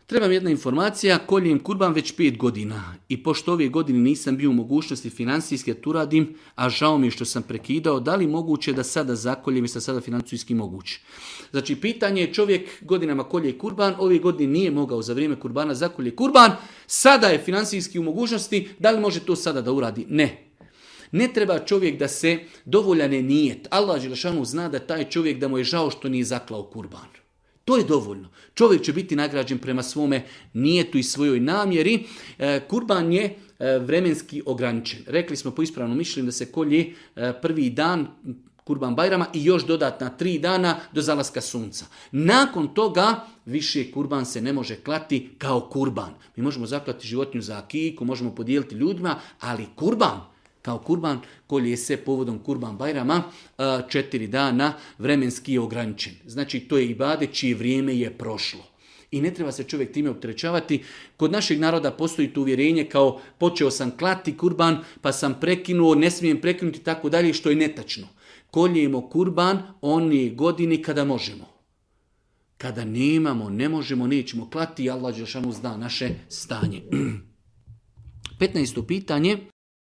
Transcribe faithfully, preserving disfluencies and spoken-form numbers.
Trebam jedna informacija, koljem kurban već pet godina i pošto ove godine nisam bio u mogućnosti financijski da to uradim, a žao mi je što sam prekidao, da li moguće da sada zakoljem i sa sada financijski moguće? Znači, pitanje je, čovjek godinama kolje kurban, ove godine nije mogao za vrijeme kurbana zakolje kurban, sada je financijski u mogućnosti, da li može to sada da uradi? Ne. Ne treba čovjek da se dovoljan je nijet. Allah dželešanu zna da taj čovjek da mu je žao što nije zaklao kurban. To je dovoljno. Čovjek će biti nagrađen prema svome nijetu i svojoj namjeri. E, kurban je e, vremenski ograničen. Rekli smo po ispravnom mišljenju da se kolje e, prvi dan kurban bajrama i još dodatna tri dana do zalaska sunca. Nakon toga više kurban se ne može klati kao kurban. Mi možemo zaklati životinju za akiku, možemo podijeliti ljudima, ali kurban kao kurban kolje se povodom kurban bajrama četiri dana vremenski je ograničen. Znači to je ibadet čije vrijeme je prošlo. I ne treba se čovjek time opterećavati. Kod našeg naroda postoji to uvjerenje kao počeo sam klati kurban pa sam prekinuo, ne smijem prekinuti tako dalje, što je netačno. Koljemo kurban one godine kada možemo. Kada nemamo, ne možemo, nećemo klati, Allah dželešanu zna naše stanje. petnaesto pitanje.